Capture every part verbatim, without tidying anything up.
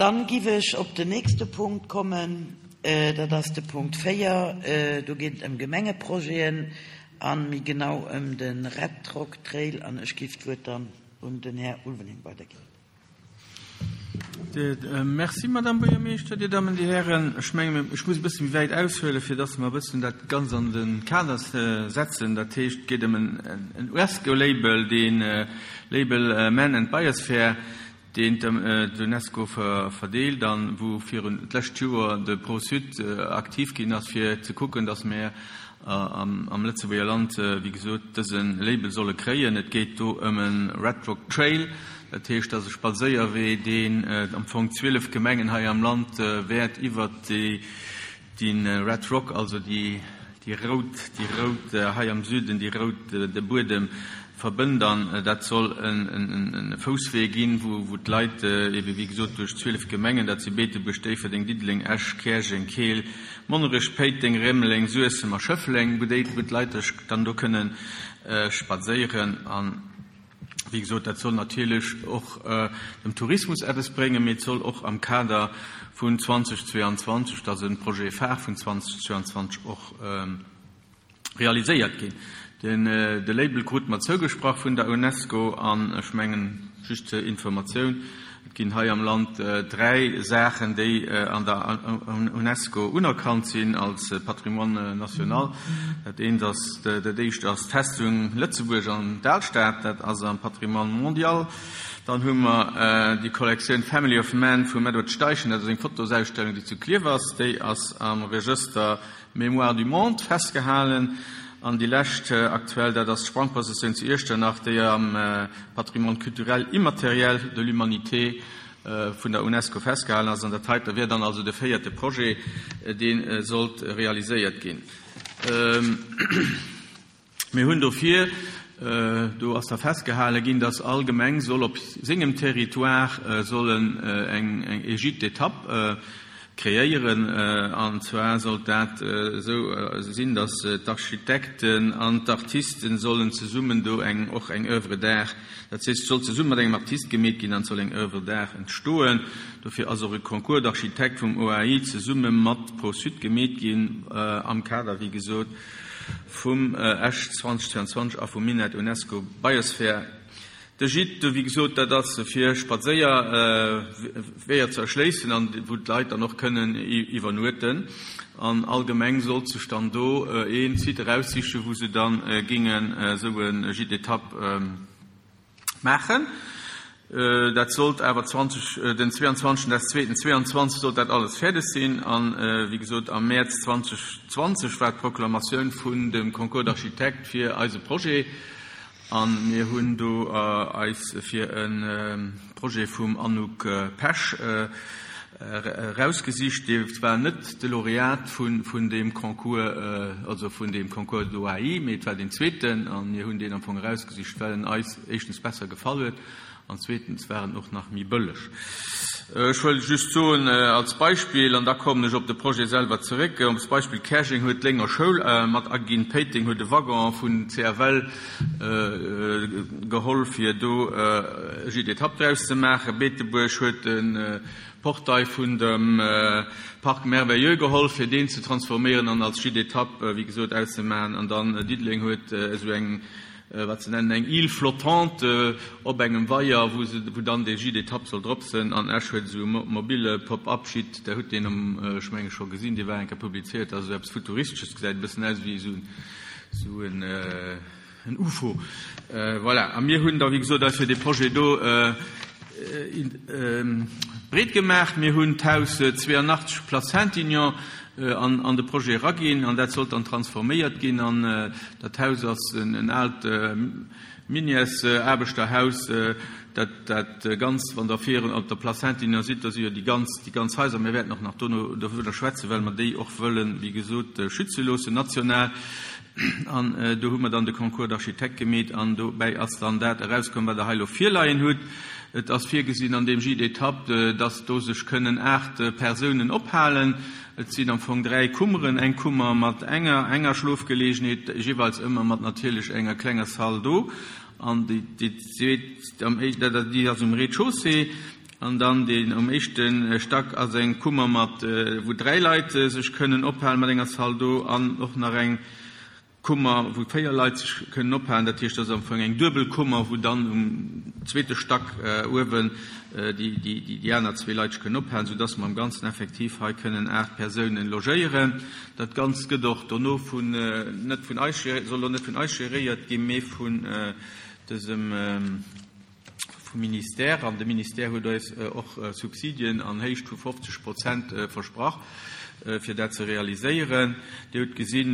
Dann giff ech op den nächste Punkt kommen, dat ass de Punkt véier. Do geet et ëm Gemengeprojeten a méi genau ëm de Red Rock Trail an ech giff d'Wuert dann un den Här Ulveling weiderginn. Merci, Madame Buergermeeschter, Dir Dammen, Dir Hären. Ech mengen, ech muss e bësse méi wäit aushuelen, fir dass mer e bëssen dat Ganzt an de Kader setzen. Dat heescht, et geet ëm en UNESCO-Label, dee Label Man and Biosphere, deen d'UNESCO verdeelt an wou virun d'lescht Joer de Pro-Sud aktiv ginn ass, fir ze kucken, dass mir am Lëtzebuerger Land, wéi gesot, dëse Label solle kréien. Et geet do ëm e Red Rock Trail, dat heescht, dat ass e Spadséierwee, deen am Fong zwielef Gemengen hei am Land wäert iwwert déi Red Rock, also déi rout, déi rout hei am Süden, déi rout, de Buedem verbënnt. An dat soll e Fousswee ginn, wou d'Leit ebe wéi gesot duerch zwielef Gemengen, dat si Beetebuerg, Déifferdeng, Diddeleng, Esch, Käerjeng, Keel, Monnerech, Péiteng, Rëmeleng, Suessem a Schëffleng, wou déi, wou d'Leit dann do kënne spadséieren. An wéi gesot, dat soll natierlech och dem Tourismus eppes bréngen, mee et soll och am Kader vun zweitausendzweiundzwanzeg, dat ass e Projet phare vun zweitausendzweiundzwanzeg, och realiséiert ginn. Den, de Label krut mer zougesprach vun der UNESCO an ech mengen, just zur Informatioun, et ginn hei am Land dräi Saachen, déi an der UNESCO unerkannt sinn als Patrimoine national. Dat eent ass, dat éischt ass d'Festung Lëtzebuerg an d'Alstad, dat ass am Patrimoine mondial. Dann hu mer déi Kollektioun Family of Man vum Edward Steichen, dat ass eng Fotosausstellung, déi zu Klierf ass, déi ass am Regëster Mémoire du monde festgehalen. An déi lescht aktuell, dat ass d'Sprangprozessioun zu Iechternach, déi am Patrimoine culturel immatériel de l'humanité vun der UNESCO festgehalen ass. An dat heite wier dann also de véierte Projet, dee sollt realiséiert ginn. Mir hunn dofir, do ass da festgehale ginn, dass all Gemeng soll op sengem Territoire sollen eng e Gîte d'étape kreéieren. An zwar sollt dat esou sinn, dass d'Architekten an d'Artisten sollen zesummen do eng, och eng Oeuvre d'art, dat heescht, et soll zesumme mat engem Artist gemeet ginn an et soll eng Oeuvre d'art entstoen. Dofir ass och e Concours d'architectes vum O A I zesumme mat Pro-Sud gemeet ginn am Kader, wéi gesot, vum Esch zweitausendzweiundzwanzeg a vum Minett UNESCO Biosphere. De Gîte, wéi gesot, dat ass fir Spadséierweeër ze erschléissen an wou d'Leit dann och kënnen iwwernuechten. An all Gemeng sollt sech dann do ee Site eraussichen, wou se dann gingen esou e Gîte d'étape maachen. Dat sollt awer zwanzeg, den zweiundzwanzegsten des zweeten zweiundzwanzeg sollt dat alles fäerdeg sinn. An, wéi gesot, am Mäerz zweitausendzwanzeg war d'Proklamatioun vun dem Concours d'architectes fir eise Projet. A mir hunn do eis fir e Projet vum Anouk Pesch erausgesicht, dee war net de Laureat vun deem Concours, also vun deem Concours d'O A I, mee et war deen zweeten. A mir hunn deen am Fong erausgesicht, well en eis éischtens besser gefall huet an zweetens war en och nach méi bëlleg. Ech wëll just soen als Beispill, an da kommen ech op de Projet selwer zeréck, als Beispill, Käerjeng huet d'Lénger Schoul mat aginn, Péiteng huet e Waggon vun C F L geholl, fir do e Gîte d'étape draus ze maachen, Beetebuerg huet de Portail vun dem Parc Merveilleux geholl, fir deen ze transforméieren an als Gîte d'étape, wéi gesot, auszemaachen, an dann Diddeleng huet esou eng, wat se nennen eng Île flottante op engem Weier, wou se, wou dann dee Gîte d'étape soll drop sinn, an Esch huet esou e mobile Pop-up-Gîte, der hutt deen, ech menge scho gesinn, dee war eng Kéier publizéiert, dat ass esou eppes Futuristesches, gesäit e bëssen aus wéi esou esou en en U F O. Voilà, a mir hunn da, wéi gesot, eis fir dee Projet do breet gemaach. Mir hunn d'Haus zweiundachtzeg Place Saint-Aignan an an de Projet eraginn an dat sollt dann transforméiert ginn. An dat Haus ass en en aalt Minières-Aarbechterhaus. Dat dat Ganzt, wann Der virun op der Place Saint-Aignan sidd, da si jo déi ganz déi ganz Haiser, mir wäerten och nach dono dovunner schwätzen, well mer déi och wëllen, wéi gesot, schütze loossen national. An do hu mer dann de Concours d'architectes gemeet an dobäi ass dann dat erauskomm, wat Der hei elo virleien hutt. Et ass virgesinn an deem Gîte d'étape, dass do sech kënnen aacht Persounen ophalen. Et sinn am Fong dräi Kummeren, eng Kummer mat enger enger Schlofgeleegenheet, jeeweils ëmmer mat natierlech enger klenger Salle do, an déi déi zweet am déi ass um Rez-de-chaussée. An dann den um éischte Stack ass eng Kummer mat, wou dräi Leit sech kënnen ophalen mat enger Salle d'eau an och nach eng Kummer, wou véier Leit sech kënnen ophalen. Dat heescht, dat ass am Fong eng duebel Kummer, wou dann um zweete Stack uewen déi, déi, déi aner zwee Leit sech kënnen ophalen, soudass mer am Ganzen effektiv hei kënnen aacht Persounen logéieren. Dat Ganzt gëtt och dono vun, net vun eis, soll och net vun eis geréiert ginn, mee vun dësem, vum Ministère. An de Ministère huet eis och Subsidien an Héicht vu fofzeg Prozent versprach, fir dat ze realiséieren. Dir hutt gesinn,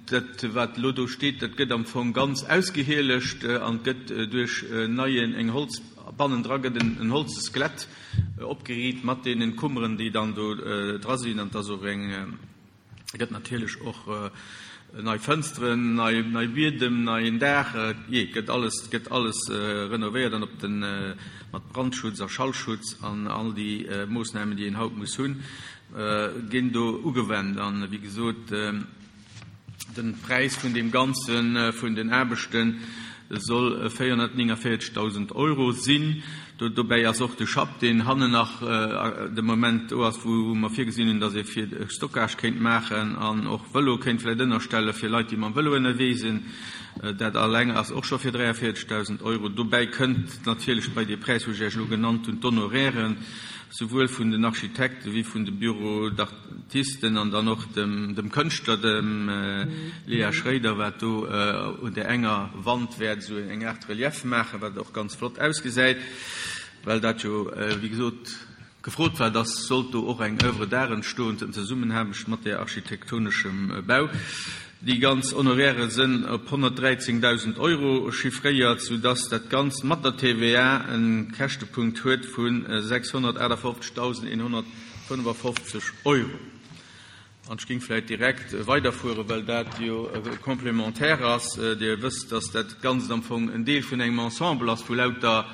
dat wat elo do steet, dat gëtt am Fong ganz ausgehielecht an gëtt duerch neien eng Holz, bannendra gëtt en holze Skelett opgeriicht mat deenen Kummeren, déi dann do dra sinn. An dat ass och eng, gëtt natierlech och nei Fënsteren, nei, nei Biedem, neien Daach, jee, gëtt alles, gëtt alles renovéiert an op den, mat Brandschutz a Schallschutz an all déi Moossnamen, déi een haut muss hunn, ginn do ugewennt. An wéi gesot, den Präis vun dem Ganzen, vun den Aarbechten soll véierhonnertnéngundvéierzegdausend Euro sinn. Do, dobäi ass och de Schapp, deen hannen nach de Moment do ass, wou mer virgesinn hunn, dass ee fir Stockage kéint maachen an och Vëlo kéint vläicht ënnerstelle fir Leit, déi mam Vëlo ënnerwee sinn. Dat alleng ass och scho fir dräiundvierzegdausend Euro. Dobäi kënnt natierlech bei de Präis, wou ech Iech elo genannt hunn, d'Honorairen, souwuel vun den Architekten wéi vun de Bureau d'Artisten an dann och dem, dem Kënschtler, dem Léa Schréider, wat do un der enger Wand wäert esou eng Art Relief maachen, wat och ganz flott ausgesäit, well dat jo, wéi gesot, gefrot war, dass sollt do och eng Œuvre d'art entstoen im Zusammenhang mat der architektonischem Bau. Déi ganz Honoraire sinn op honnertdräizéngdausend Euro chiffréiert, sodass dat Ganzt mat der T V A en Käschtepunkt huet vun sechshonnertachtundfünfzigtausendeinhundertfünfundfünfzig Euro. An ech ging vläicht direkt weiterfuhren, well dat jo komplementär ass. Dir wësst, dass dat Ganzt am Fong en Deel vun engem Ensemble ass, wou lauter,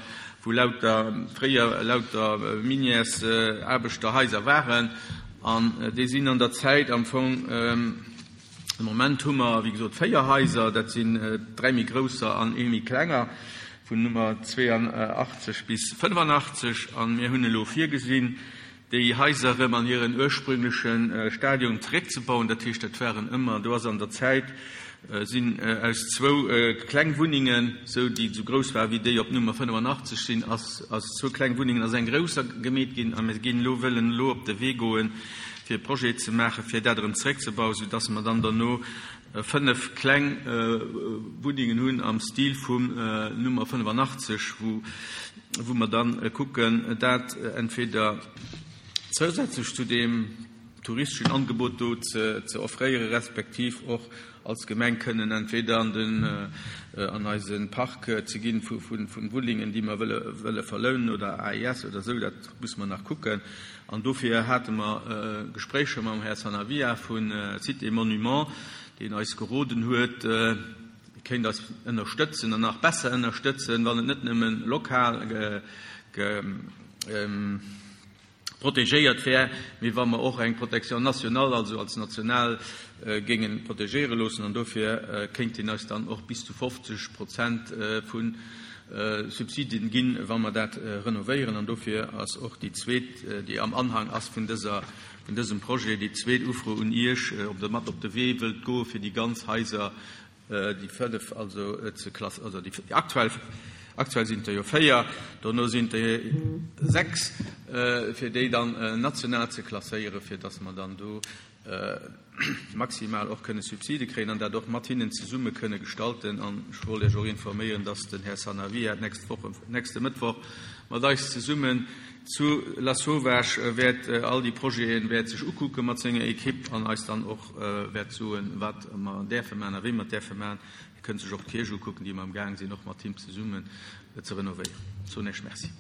wou lauter fréier lauter Miniers, Aarbechterhaiser waren. An déi sinn an der Zäit am Fong, im Moment hu mer, wéi gesot, véier Haiser, dat sinn dräi méi grousser an ee méi klenger, vun Nummer zweiundachtzig bis fünfundachtzig. An mir hunn elo virgesinn, déi Haiser erëm an hiren ursprünglechen Stadium zréckzebauen. Dat heescht, dat waren ëmmer, do ass an der Zäit, sinn aus zwou kleng Wunnungen, sou déi so grouss war wéi déi op Nummer fünfundachtzig sinn, ass, ass zwou kleng Wunnungen ass eng grousser gemeet ginn. An mir ginn elo, wëllen elo op de Wee goen, fir e Projet ze maachen, fir dat erëm zréckzebauen, sodass mer dann dono fënnef kleng Wunnungen hunn am Stil vum Nummer fünfundachtzig, wou, wou mer dann kucken, dat entweder zousätzlech zu dem touristischen Angebot do ze, ze offréieren, respektiv och als Gemeng kënnen entweder an den, an eisen Park ze ginn vu, vun, vun Wunnungen, déi mer wëlle, wëlle verlounen oder A I S oder sou, dat muss man nach kucken. An dofir hate mer Gespréicher mam Herr Sanavia vun Cité Monument, deen eis geroden huet, kéint eis ënnerstëtzen an nach besser ënnerstëtzen, wann et net nëmmen lokal ge-, ge-, ähm, protegéiert wär, mee wa mer och eng Protection nationale, also als national, äh, géingen protegéiere loossen. An dofir, äh, kéint een eis dann och bis zu fofzeg Prozent, äh, vun, äh, Subsidien ginn, wa mer dat, äh, renovéieren. An dofir ass och déi zweet, äh, déi am Anhang ass vun dëser, vun dësem Projet, déi zweet Ufro un Iech, äh, ob der mat op de Wee wëllt goen, fir déi ganz Haiser, äh, déi fënnef, also, äh, ze klass-, also déi, déi aktuell, aktuell sind der jo véier, dono sind der sechs, äh, fir déi dann, äh, national ze klasséieren, fir dass mer dann do, äh, maximal och kënne Subside kréien an dat och mat hinnen zesumme kënne gestalten. An ech wollt Iech och informéieren, dass den Herr Sanavia nächst Woche, nächste Mëttwoch mat eis zesummen zu La Sauvage wäert, äh, all déi Projeten wäert sech ukucke mat senger Equipe an eis dann och, äh, wäert soen, wat mer däerfe maachen a wéi mer däerfe maachen. Dir kënnt sech och d'Kierch ukucken, déi mer am Gang sinn, och mat him zesummen ze renovéieren. So nächst, merci.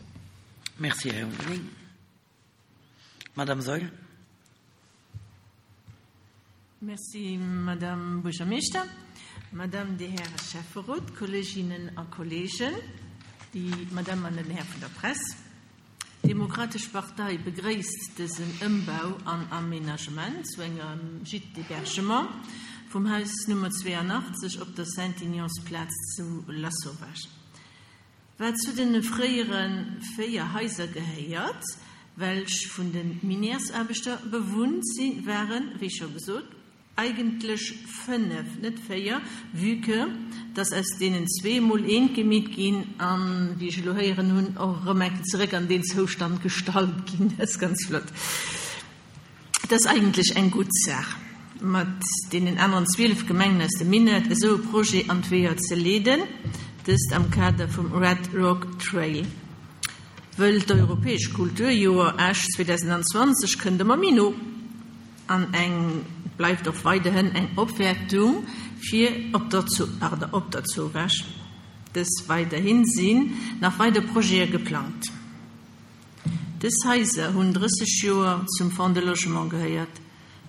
Merci, Herr Ulrich. Madame Seul. Merci, Madame Buergermeeschter, Madame de Herr Schäfferot, Kolleginnen a Kollegen, déi Madame an den Herr vun der Press. D'Demokratesch Partei begréisst dësen Ëmbau an Aménagement zu engem Gîte d'hébergement vum Haus Nummer zweiundachtzig op der Saint-Ignace-Plaz zu Lasauvage. Wat zu den fréiere véier Haiser gehéiert, welch vun de Miniersaarbechter bewunnt si waren, wéi scho gesot, eigentlech fënnef, net véier, vue que dass aus deenen zwee mol eent gemeet ginn an, wéi ech elo héieren hunn, och erëm eng Kéier zeréck an deen Zoustand gestallt ginn. Dat ass ganz flott. Dat ass eigentlech eng gutt Saach, mat deenen aneren zwielef Gemengen aus dem Minett esou e Projet an d'Weeër ze leeden, dëst am Kader vum Red Rock Trail. Wëll d'Europäesch Kulturjoer Esch zweedausendzwanzeg kënnt ëmmer méi no an eng bleift och weiderhin eng Opwäertung fir op der pardon, op der Zowaasch. Dës weiderhin sinn nach weider Projete geplangt. Dës Haiser hunn drësseg Joer zum Fonds de Logement gehéiert.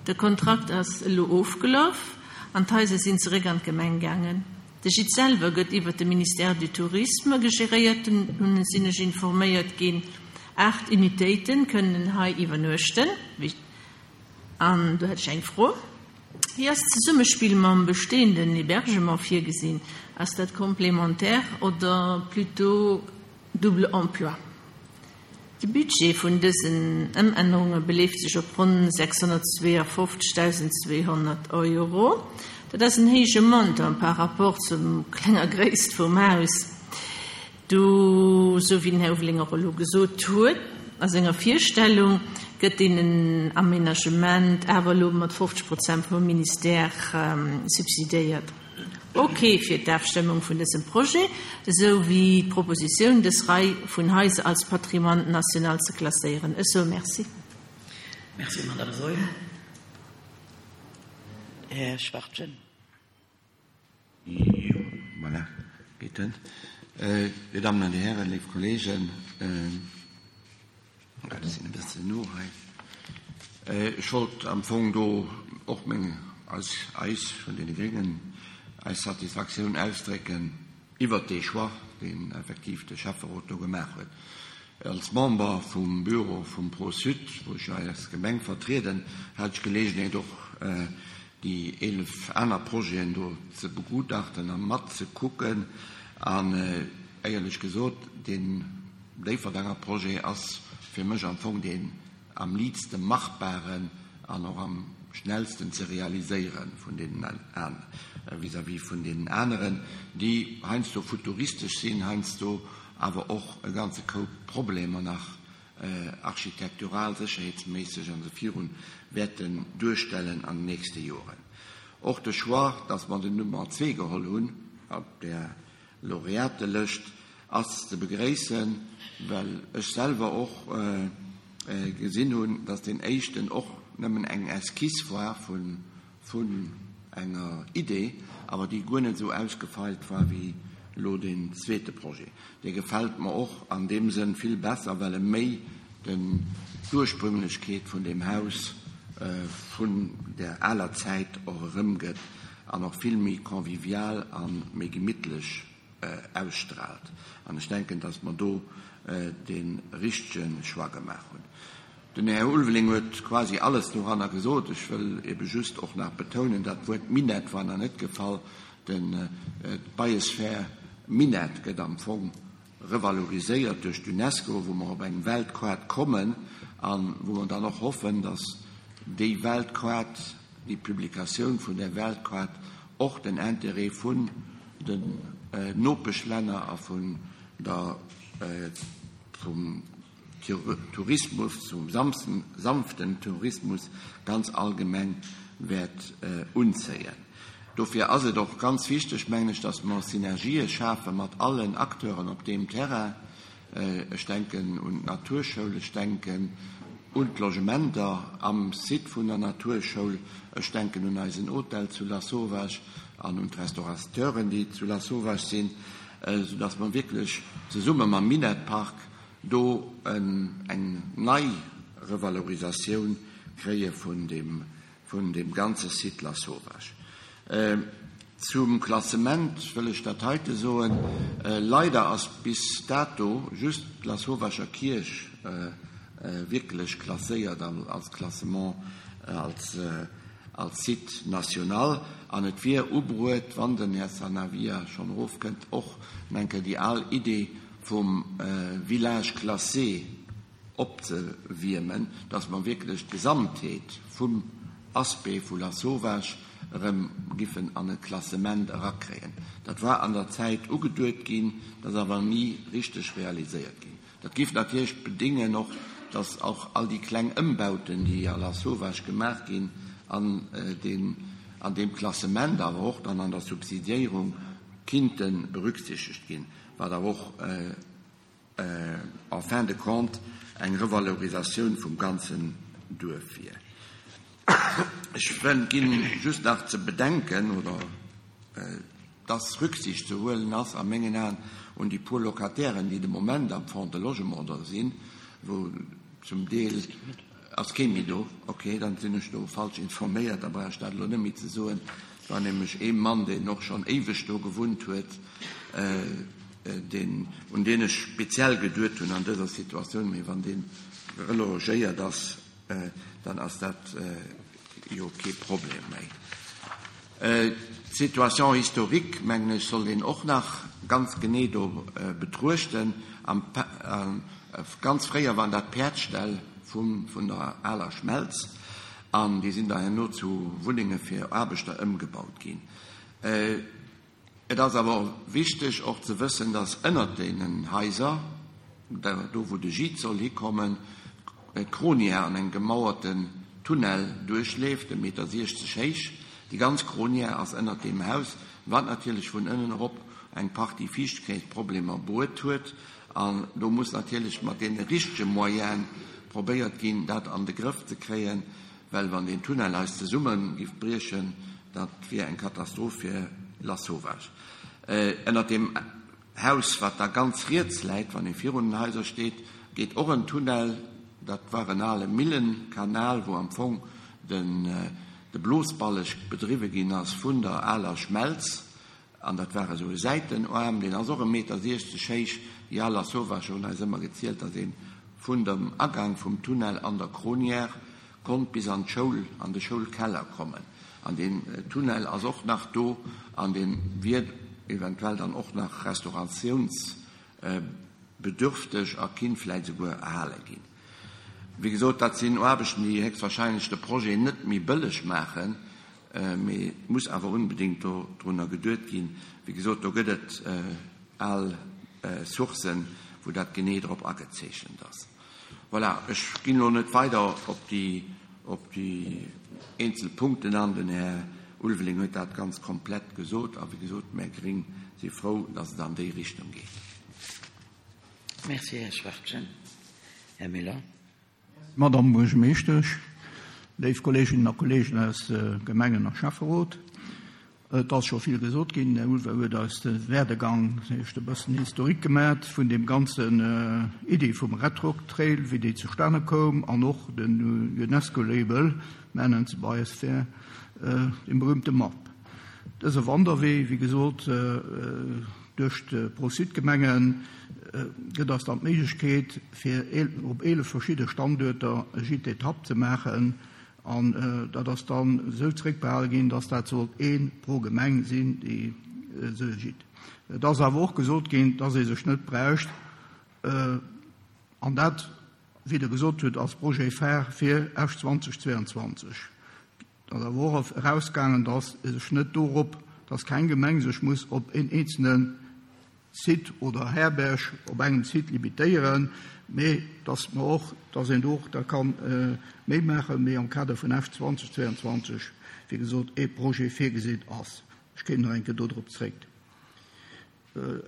De Kontrakt ass elo ofgelaf an d'Haiser sinn zeréck an d'Gemeng gaangen. De Gîte selwer gëtt iwwer de Ministère du Tourisme geréiert, hunn sinn ech informéiert ginn. Aacht Unitéite kënnen hei iwwernuechten. An do hätt ech eng Fro. Wéi ass d'Zesummespill mam bestehenden Hébergement virgesinn? Ass dat complémentaire oder plutôt double emploi? De Budget vun dësen Ëmännerunge beleeft sech op ronn sechshonnertzweeafofzegdausend zweehonnert Euro. Dat ass en héije Montant par rapport zum klenger Gréisst vum Haus. Do, sou wéi den Här Ulveling och elo gesot huet a senger Virstellung, gëtt deen Aménagement awer elo mat fofzeg Prozent vum Ministère subsidéiert. Ok fir d'Afstëmmung vun dësem Projet, esou wéi d'Propositioun, dës Rei vun Haiser als Patrimoine national ze klasséieren. Ech soe Merci. Merci, Madame Saeul. Här Schwachtgen. Jo, voilà, geet en. Dir Dammen an Dir Hären, léif Kollegen, dat ass e bëssen no hei. Ech wollt am Fong do och meng, eis, eis vun deene Gréngen, eis Satisfaktioun ausdrécken iwwert dee Choix, deen effektiv de Schäfferot do gemaach huet. Als Member vum Büro vum Pro-Sud, wou ech eis Gemeng vertrieden, hat ech Geleegenheet och déi eelef aner Projeten do ze begutachten a matzekucken. An éierlech gesot, deen Déifferdenger Projet ass fir mech am Fong deen am liitste machbaren an och am schnellsten ze realiséiere vun deenen an vis-à-vis vun deenen aneren, déi heiansdo futuristesch sinn, heiansdo awer och e ganze Koup Problemer nach architektural, sécherheetsméisseg an esou virun wäerten duerstellen an den nächste Joren. Och de Choix, dass mer den Nummer zwee geholl hunn op der Laureatelëscht, ass ze begréissen, well ech selwer och gesinn hunn, dass deen éischten och nëmmen eng Esquisse war vun vun enger Idee, awer déi guer net esou ausgefeilt war wéi elo deen zweete Projet. Dee gefält mer och an deem Sënn vill besser, well e méi den d'Ursprünglechkeet vun deem Haus vun der aler Zäit och erëmgëtt an och vill méi convivial a méi gemittlech ausstraalt. An ech denken, dass mer do dee richtege Choix gemaach hunn. Den Här Ulveling huet quasi alles doranner gesot. Ech wëll ebe just och nach betounen, dat Wuert Minett war nach net gefall. Den d'Biosphere Minett gëtt am Fong revaloriséiert duerch d'UNESCO, wou mer op eng Weltkaart kommen an wou mer dann och hoffen, dass déi Weltkaart, déi Publikatioun vun der Weltkaart och den Interêt vun den Nopeschlänner a vun der vum Tourismus, zum sanften Tourismus ganz allgemeng wäert unzéien. Dofir ass et och ganz wichteg, mengen ech, dass mer Synergië schafe mat allen Acteuren op deem Terrain. Ech denken un d'Naturschoul, ech denken un d'Logementer am Site vun der Naturschoul, ech denken un eisen Hotel zu Lasauvage an un d'Restaurateuren, déi zu Lasauvage sinn, soudass mer wierklech zesumme mam Minett-Park do eng nei Revalorisatioun kréie vun deem, vun deem ganze Site Lasauvage. Zum Klassement wëll ech dat heite soen, Leider ass bis dato just d'Lassauvager Kierch wierklech klasséiert als Klassement, als, als Site national. An et wier ubruet, wann den Här Sanavia schonn erofkënnt, och, menke, déi al Idee vum Village classé opzewiermen, dass mer wierklech d'Gesamtheet vum Aspect vu Lasauvage erëm giffen an e Klassement erakréien. Dat war an der Zäit ugeduet ginn, dat ass awer ni richteg realiséiert ginn. Dat giff natierlech bedéngen och, dass och all déi kleng Ëmbauten, déi a Lasauvage gemaach ginn, an deen, an deem Klassement, awer och dann an der Subsidiéierung kinnte berücksichtegt ginn, wat awer och en fin de compte eng Revalorisatioun vum ganzen Duerf wier. Ech ginn just nach ze bedenken, oder dass Rücksicht ze huelen ass a mengen Aen un déi puer Locatairen, déi de Moment am Fonds de Logement do sinn, wou zum Deel, ass kee méi do, okay, dann sinn ech do falsch informéiert, da brauch ech dat elo net méi ze soen. Et war nämlech ee Mann, deen och schonn éiweg do gewunnt huet, deen, un deen ech speziell geduet hunn an dëser Situatioun, mee wann dee relogéiert ass, dann ass dat jo kee Problem méi. D'Situation historique, mengen ech, sollt een och nach ganz genee do betruechten. Ganz fréier waren dat Päerdställ vun der aler Schmelz an déi sinn da herno zu Wunnenge fir Aarbechter ëmgebaut ginn. Et ass awer wichteg och ze wëssen, dass ënnert deenen Haiser, do wou de Gîte soll hikommen, d'Cronière an engem gemauerten Tunnel duerchleeft, e Meter siechzeg héich. Déi ganz Cronière ass ënnert deem Haus, wat natierlech vun ënnen erop eng Partie Fiichtegkeetsproblemer bruet huet. An do muss natierlech mat deene richtege Moyene probéiert ginn, dat an de Grëff ze kréien, well wann deen Tunnel eis zesumme giff briechen, dat wier eng Katastroph fir Lasauvage. Ënnert deem Haus, wat da ganz riets läit, wann ee virun den Haiser steet, geet och en Tunnel. Dat war en ale Millenkanal, wou am Fong de Blosballeg bedriwwe ginn ass vun der aler Schmelz. An dat war esou e Säitenaarm, deen ass och e Meter siechzeg héich. Déi al Lasauvage hunn eis ëmmer gezielt, datt ee vun dem Agang vum Tunnel an der Cronière konnt bis an d'Schoul, an de Schoulkeller kommen. An deen Tunnel ass och nach do an dee wier eventuell dann och nach restauratiounsbedürfteg a kinnt vläit esouguer erhale ginn. Wéi gesot, dat sinn Aarbechten, déi héchstwahrscheinlech de Projet net méi bëlleg maachen, mee et muss awer unbedéngt dodrunner geduet ginn. Wéi gesot, do gëtt et al Sourcen, wou dat genee drop agezeechent ass. Voilà, ech ginn elo net weider op déi, op déi eenzel Punkten an. Den Här Ulveling huet dat ganz komplett gesot. A wéi gesot, mär Gring si frou, dass et an déi Richtung geet. Merci, Här Schwachtgen. Här Miller. Madame Buergermeeschtesch, léif Kolleeginnen a Kolleegen aus Gemengen a Schäfferot, et ass scho vill gesot ginn. Den Här Ulver huet eis de Werdegang, dat heescht e bëssen Historique gemat vun deem ganzen Iddi vum Red Rock Trail, wéi déi zustane koum, an och den UNESCO-Label, mer nennen se Biosphere, deem berühmte MAP. Dëse Wanderwee, wéi gesot, duerch d'ProSud-Gemengen, gëtt eis dann d'Méiglechkeet, fir op eelef verschidde Standuerter e Gîte d'étape ze maachen. An dat ass dann esou zréckbehale ginn, dass dat sollt ee pro Gemeng sinn, déi esou e Gîte. Et ass awer och gesot ginn, dass ee sech net bräucht, an dat, wéi Der gesot hutt, als Projet phare fir Esch zweitausendzweiundzwanzeg. Et ass awer och erausgaangen, dass ee sech net dorop, dass keng Gemeng sech muss op een eenzelne Site oder Herberg op engem Site limitéieren, mee dass mer och, dass een do och da ka méi maachen, mee am Kader vun Esch zweitausendzweiundzwanzeg, wéi gesot, ee Projet virgesinn ass. Ech kéim nach eng Kéier dodrop zréck.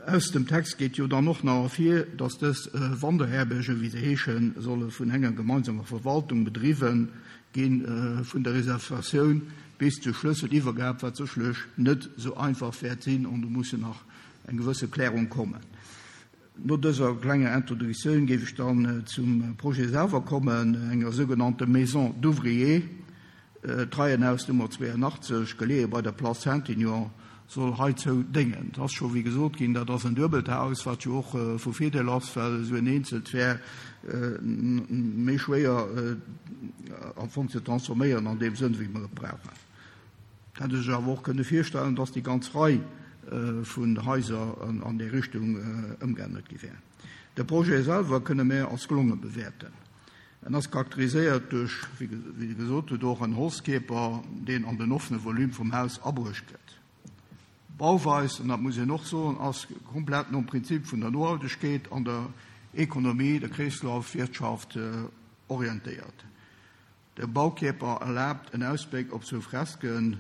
Aus dem Text geet jo dann och nach ervir, dass dës Wanderherbergen, wéi se heeschen, solle vun enger gemeinsamer Verwaltung bedriwwen ginn, vun der Reservatioun bis zur Schlësseliwwergab, wat sécherlech net esou einfach wäert sinn, an do musse nach eng gewësse Klärung kommen. No dëser klenger Introduktioun géif ech dann zum Projet selwer kommen, enger sougenannte Maison d'ouvriers, d'Reienhaus Nummer zweiundachtzeg, geleeë bei der Place Saint-Aignan, soll heizou déngen. Et ass scho wéi gesot ginn, dat ass en duebelt Haus, wat jo och vu Virdeel ass, well esou en eenzelt wär méi schwéier am Fong ze transforméieren an deem Sënn, wéi mer et brauchen. Et hätt ee sech awer och kënne virstellen, dass déi ganz Rei vun Haiser an déi Richtung ëmgeännert gi wär. De Projet selwer kënne mir als gelonge bewäerten. En ass charakteriséiert duerch, wéi gesot huet, och en Holzkierper, deen an den offene Volume vum Haus abruecht gëtt. Bauweis, an dat muss een och soen, ass komplett nom Prinzip vun der Nohaltegkeet an der Ekonomie, der Kreeslaufwirtschaft orientéiert. De Baukierper erlaabt en Ausbléck op zwou Fresken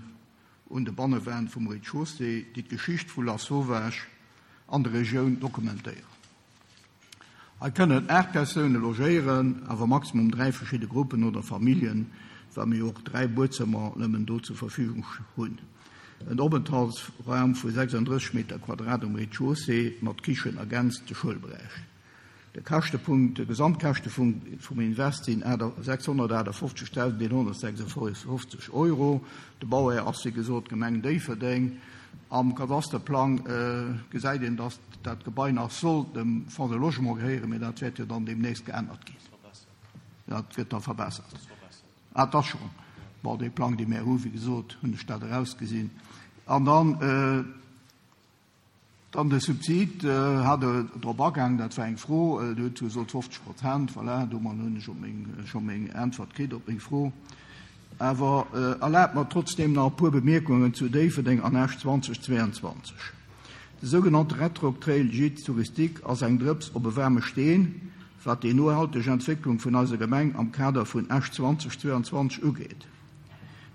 un de Bannewänn vum Rez-de-chaussée, déi d'Geschicht vu Lasauvage an der Regioun dokumentéieren. Hei kënnen aacht Persoune logéieren, awer maximum dräi verschidde Gruppen oder Familljen, well mir jo och dräi Buedzëmmer nëmmen do zur Verfügung hunn. En Openthaltsraum vu sechsunddrësseg Meter Quadrat um Rez-de-chaussée mat Kichen ergänzt de Schoulberäich. De Käschtepunkt, de Gesamtkäschtepunkt vum Invest sinn sechshonnertachtefofzegdausendeenhonnertsechsundfofzeg Euro. De Bauhär ass, wéi gesot, d'Gemeng Déifferdeng. Am Kadasterplang gesäit een, dass dat Gebai nach soll dem Fonds de Logement gehéieren, mee dat wäert jo dann deemnächst geännert ginn. Dat gëtt da verbessert. Ah, dat ass schonn. Bon, dee Plang, dee mir hu, wéi gesot, hunn ech dat erausgesinn. An dann, dann de Subsid, hat Der drop agaangen, dat war eng Fro, Dir hutt gesot fofzeg Prozent, voilà, domat hunn ech op meng, scho meng Äntwert kritt op meng Fro. Awer erlaabt mer trotzdeem nach e puer Bemierkungen zu Déifferdeng an Esch zweitausendzweiundzwanzeg. De sougenannte Red Rock Trail Gîte touristique ass eng Drëps op e waarme Steen, wat déi nohalteg Entwécklung vun eiser Gemeng am Kader vun Esch zweitausendzweiundzwanzeg ugeet.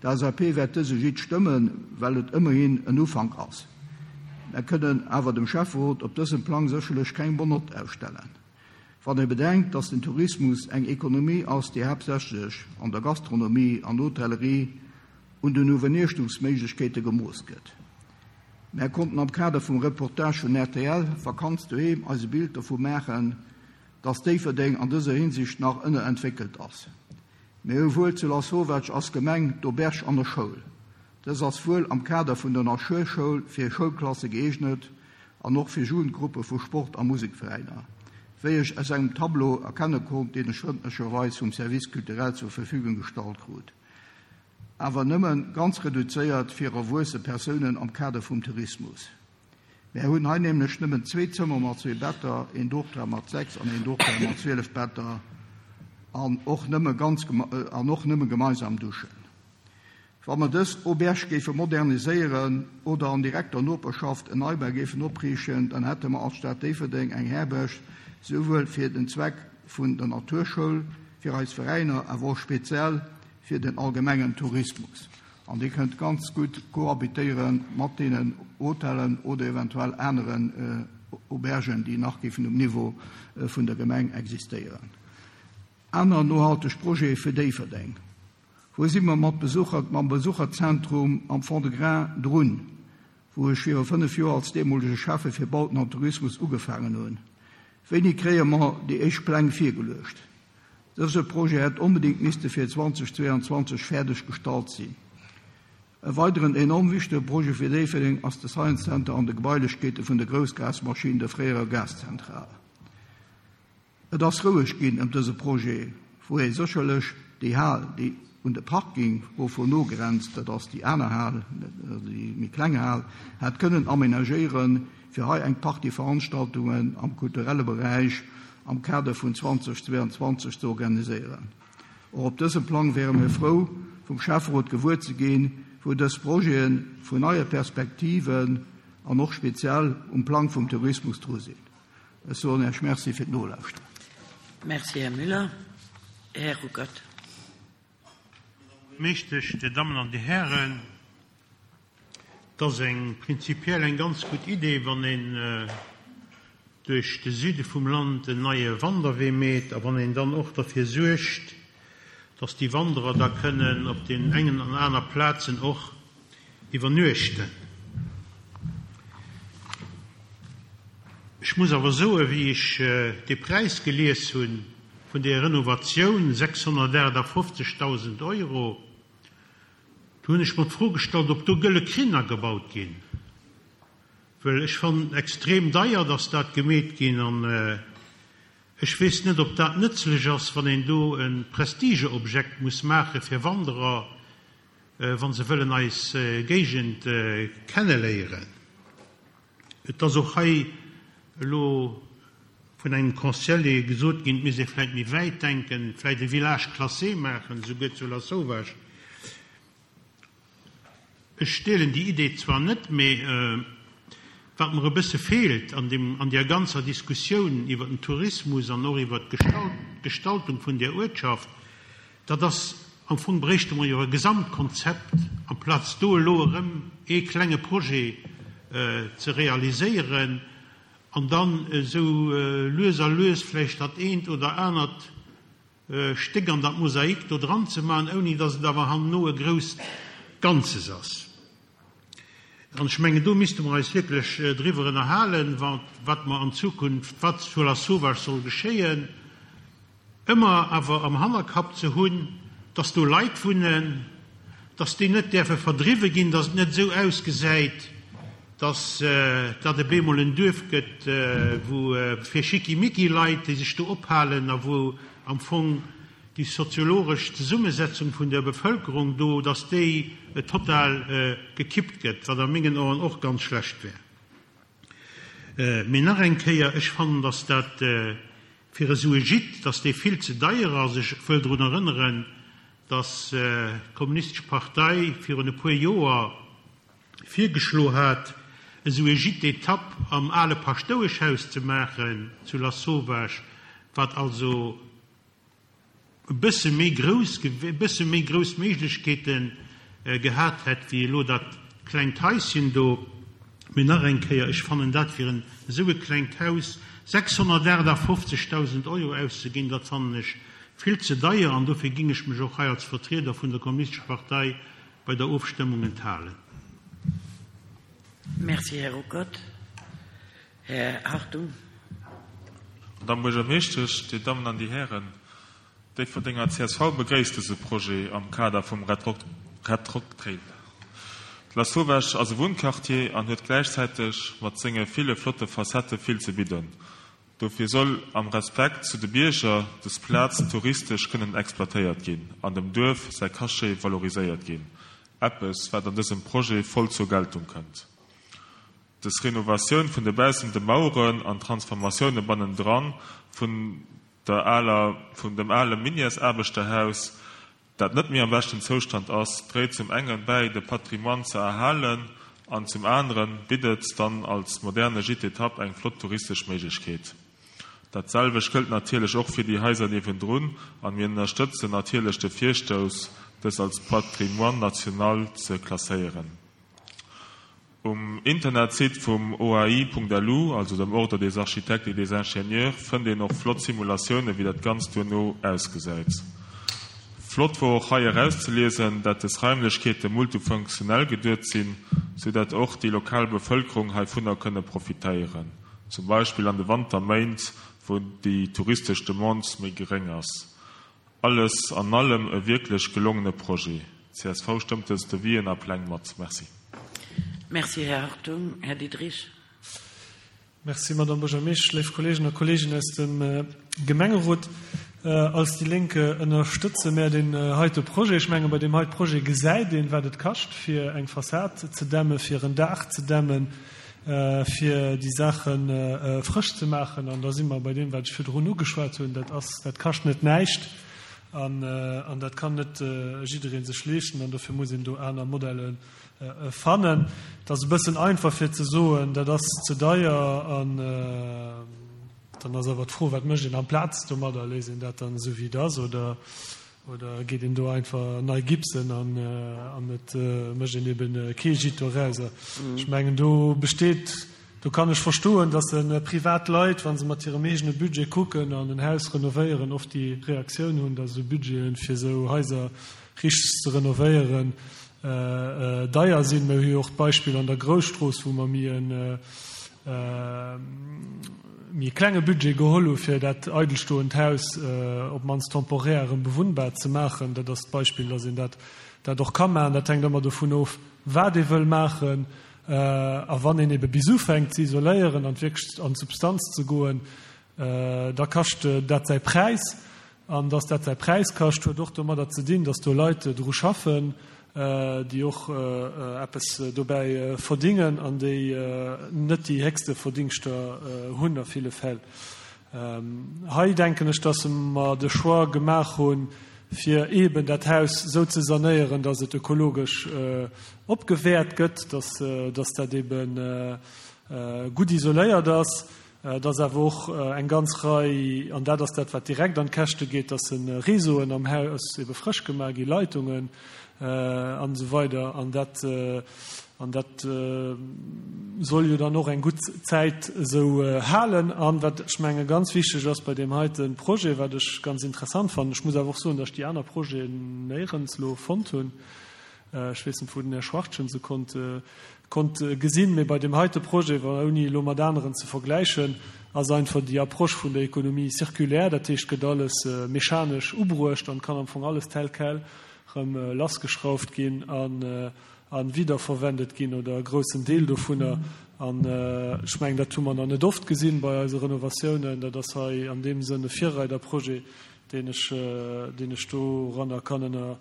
D'L S A P wäert dëse Gîte stëmmen, well et ëmmerhin en Ufank ass. Mir kënnen awer dem Schäfferot op dësem Plang sécherlech keng bonne note ausstellen. Wann ee bedenkt, dass den Tourismus eng Ekonomie ass, déi haaptsächlech an der Gastronomie an Hotellerie un den Iwwernuechtungsméiglechkeete gemooss gëtt. Mir konnten am Kader vum Reportage vun R T L Vakanz doheem eis e Bild dovu maachen, dass Déifferdeng an dëser Hinsicht nach ënnerentwéckelt ass. Mir hu wuel zu Lasauvage als Gemeng d'Auberge an der Schoul. Dës ass wuel am Kader vun der Naturschoul fir Schoulklasse gëeegnet an och fir Jugendgruppe vu Sport a Musekveräiner, wéi ech aus engem Tableau erkenne konnt, deen ech frëndlecherweis vum Service culturel zur Verfügung gestallt krut. Awer nëmme ganz reduzéiert fir erwuesse Persounen am Kader vum Tourismus. Mir hunn hei nämlech nëmmen zwee Zëmmer mat zwee Better, een Dortoir mat sechs an een Dortoir mat zwielef Better an och nëmme ganz an och nëmme gemeinsam Duschen. Wa mer dës Auberge géife moderniséieren oder an direkter Noperschaft en Neibau géifen opriichten, dann hätte mer als Stad Déifferdeng eng Herberg, souwuel fir den Zweck vun der Naturschoul, fir eis Veräiner, awer och speziell fir den allgemengen Tourismus. An déi kënnt ganz gutt kohabitéiere mat deenen Hotellen oder eventuell aneren Aubergen, déi nach géifen um Niveau vun der Gemeng existéieren. Aner nohalteg Projete fir Déifferdeng. Wou si mer mat Besucher, mam Besucherzentrum am Fond-de-Gras drun, wou ech viru fënnef Joer als deemolege Schäffe fir Bauten an Tourismus ugefaangen hunn? Wéini kréie mer déi éischt Pläng virgeluecht? Dëse Projet hätt onbedéngt misste fir zweitausendzweiundzwanzeg fäerdeg gestallt sinn. E weideren enorm wichtege Projet fir Déifferdeng ass de Science Center an de Gebailechkeete vun der Groussgasmaschinn, der fréierer Gaszentral. Et ass roueg ginn ëm dëse Projet, wou ee sécherlech déi Hal, déi un de Parking wovun nogrenzt, dat ass déi aner Hal, déi méi kleng Hal, hätt kënnen amenagéieren, fir hei eng Partie Veranstaltungen am kulturelle Beräich am Kader vun zweitausendzweiundzwanzeg ze organiséieren. Och op dësem Plang wäre mir frou, vum Schäfferot gewuer ze ginn, wou dës Projete vun neie Perspektiven an och speziell um Plang vum Tourismus dru sinn. Ech soen Iech Merci fir d'Nolauschteren. Merci, Här Müller. Här Ruckert. Meeschtesch, Dir Dammen an Dir Hären, et ass eng prinzipiell eng ganz gutt Idee, wann een duerch de Süde vum Land en neie Wanderwee meet a wann een dann och derfir suergt, dass déi Wanderer da kënnen op den engen an aner Plazen och iwwernuechten. Ech muss awer soen, wéi ech de Präis gelies hu vun der Renovatioun, sechshonnertachtefofzegdausend Euro, do hunn ech mer d'Fro gestallt, ob do gëlle Krinn agebaut ginn. Well ech fannen extrem deier, dass dat gemeet ginn an ech weess net, ob dat nëtzlech ass, wann een do e Prestigeobjekt muss maache fir Wanderer, wa se wëllen eis Géigend kenneléieren. Et ass och hei elo vun engem Conseiller gesot ginn, et misst ee vläicht méi wäit denken, vläicht e Village classé maachen, souguer zu Lasauvage. Ech deelen déi Idee zwar net, mee wat mer e bësse feelt an deem, an där ganzer Diskussioun iwwer den Tourismus an och iwwer d'Gestaltung vun där Uertschaft, dat ass, am Fong bréichte mer jo e Gesamtkonzept, amplaz do elo erëm ee klenge Projet ze realiséieren an dann esou lues a lues vläicht dat eent oder anert Stéck an dat Mosaik do dran ze maachen, ouni datt et awer herno e grousst Ganzes ass. An ech mengen, do misste mer eis wierklech driwwer ënnerhalen, wat mer an Zukunft, wat zu Lasauvage soll geschéien, ëmmer awer am Hannerkapp ze hunn, dass do Leit wunnen, dass déi net däerfe verdriwwe ginn, dass et net esou ausgesäit, dass dat op eemol en Duerf gëtt, wou fir Schickimicki-Leit, déi sech do ophalen a wou am Fong déi soziologesch Zesummesetzung vun der Bevëlkerung do, dass déi total gekippt gëtt, wat a mengen Aen och ganz schlecht wär. Mee nach eng Kéier, ech fannen, dass dat fir esou e Gîte, dass dee vill ze deier ass. Ech wëll drun erënneren, dass d'Kommunistesch Partei virun e puer Joer virgeschlo hat, esou e Gîte d'étape am ale Paschtoueschhaus ze maachen zu Lasauvage, wat also e bësse méi grouss, e bësse méi grouss Méiglechkeete gehat hätt wéi elo dat klengt Haischen do. Mee nach eng Kéier, ech fannen dat fir en esou e klengt Haus sechshonnertaachtafuffzegdausend Euro auszeginn, dat fannen ech vill ze deier an dofir géing ech mech och hei als Vertrieder vun der Kommunistescher Partei bei der Ofstëmmung enthalen. Merci, Här Ruckert. Här Hartung. Madamm Buergermeeschtesch, Dir Dammen an Dir Hären, D'Déifferdenger csv begréisst dëse Projet am Kader vum Red Rock, Red Rock Trail. D'Lasauvage ass e Wunnquartier an huet gläichzäiteg mat senge ville flotte Facettë vill ze bidden. Dofir soll am Respekt zu de Bierger dës Plaz touristesch kënnen exploitéiert ginn an dem Duerf säi Cachet valoriséiert ginn, eppes wat an dësem Projet voll zur Geltung kënnt. Dës Renovatioun vun de baussente Maueren an d'Transformatioune bannendran vun der aler, vun dem ale Minièrsaarbechterhaus, dat net méi am beschten Zoustand ass, dréit zum enge bäi, de Patrimoine ze erhalen an zum anere bitt et dann als moderne Gîte d'étape eng flott touristesch Méiglechkeet. Dat selwecht gëllt natierlech och fir déi Haiser niewendrun an mir ënnerstëtzen natierlech de Virstouss, dës als Patrimoine national ze klasséieren. Um Internetsite vum O A I punkt L U, also dem Ordre des Architectes et des Ingénieurs, fënnt een och flott Simulatioune wéi dat Ganzt duerno ausgesäit. Flott wor och hei erauszeliesen, dat des Raimlechkeete multifunktionell geduet sinn, sou dat och déi lokal Bevëlkerung heivunner kënne profitéieren, zum Beispill an de Wanterméint, wou déi touristesch Demande méi geréng ass. Alles an allem e wierklech gelongene Projet. Csv stëmmt dës Devisen a Pläng mat. Merci. Merci, Här Hartung. Här Diderich. Merci, Madame Buergermeeschtesch, léif Kolleegen a Kolleeginnen aus dem Gemengerot. Als déi Lénk ënnerstëtze mär deen heite Projet. Ech menge bei deem heite Projet gesäit een, wat et kascht, fir eng Fassad ze dämmen, fir en Daach ze dämmen, fir déi Saache frësch ze maachen. An da si mer bei deem, wat ech virdrun ugeschwat hunn, dat ass, dat kascht net näischt an dat kann net jidderee sech leeschten an dofir muss een do aner Modelle fannen. Et ass e bëssen einfach fir ze soen, dat ass ze deier an dann ass awer d'Fro, wat mécht een amplaz domadder? Léisst een dat dann esou wéi et ass oder oder geet een do einfach nei gipsen an an et mécht een eben kee Gîte dorauser? Ech mengen do besteet, do kann ech verstoen, datt e privat Leit, wa se mat hirem eegene Budget kucken an en Haus renovéieren, oft déi Reaktioun hunn, datt esou Budgeten fir esou Haiser richteg ze renovéieren deier sinn. Mir hu jo och d'Beispill an der Grousstrooss, wou mer méi e méi klenge Budget geholl hu fir dat eidelstoend Haus op d'mannst temporär erëm bewunnbar ze maachen. Dat ass d'Beispill, datt een dat dat och ka maachen. Dat hänkt ëmmer dovun of, wat ee wëll maachen. A wann een ebe bis ufänkt ze isoléieren an wierklech an d'Substanz ze goen, da kascht dat säi Präis. An datt dat säi Präis kascht, huet och domadder ze dinn, datt do Leit dru schaffen, déi och eppes dobäi verdingen an déi net déi héchste Verdingschter hunn a ville Fäll. Hei denken ech, dass mer de Choix gemaach hunn, fir eben dat Haus esou ze sanéieren, dass et ökologesch opgewäert gëtt, dass dass dat eben gutt isoléiert ass, dass awer och eng ganz Rei, an dat ass dat, wat direkt an d'Käschte geet, dass Réseauen am Haus ebe frësch gemaach gi, Leitungen an esou weider. An dat, an dat soll jo dann och eng gutt Zäit esou halen. An wat ech menge ganz wichteg ass bei deem heite Projet, wat ech ganz interessant fannen, ech muss awer och soen, dass ech déi aner Projeten néierens elo fonnt hunn, ech weess net, wou den Här Schwachtgen se konnt, konnt gesinn, mee bei deem heite Projet, wa ouni elo mat aneren ze vergläichen, ass einfach déi Approche vun der Économie circulaire, dat heescht, gëtt alles mechanesch ubruecht an kann am Fong alles tel quel erëm lassgeschrauft ginn an an wiederverwendet ginn oder e groussen Deel dovunner. An ech mengen, dat hu mer nach net oft gesinn bei eise Renovatiounen. Dat ass hei an deem Sënn e Virreiderprojet, deen ech, deen ech doranner kann ënner,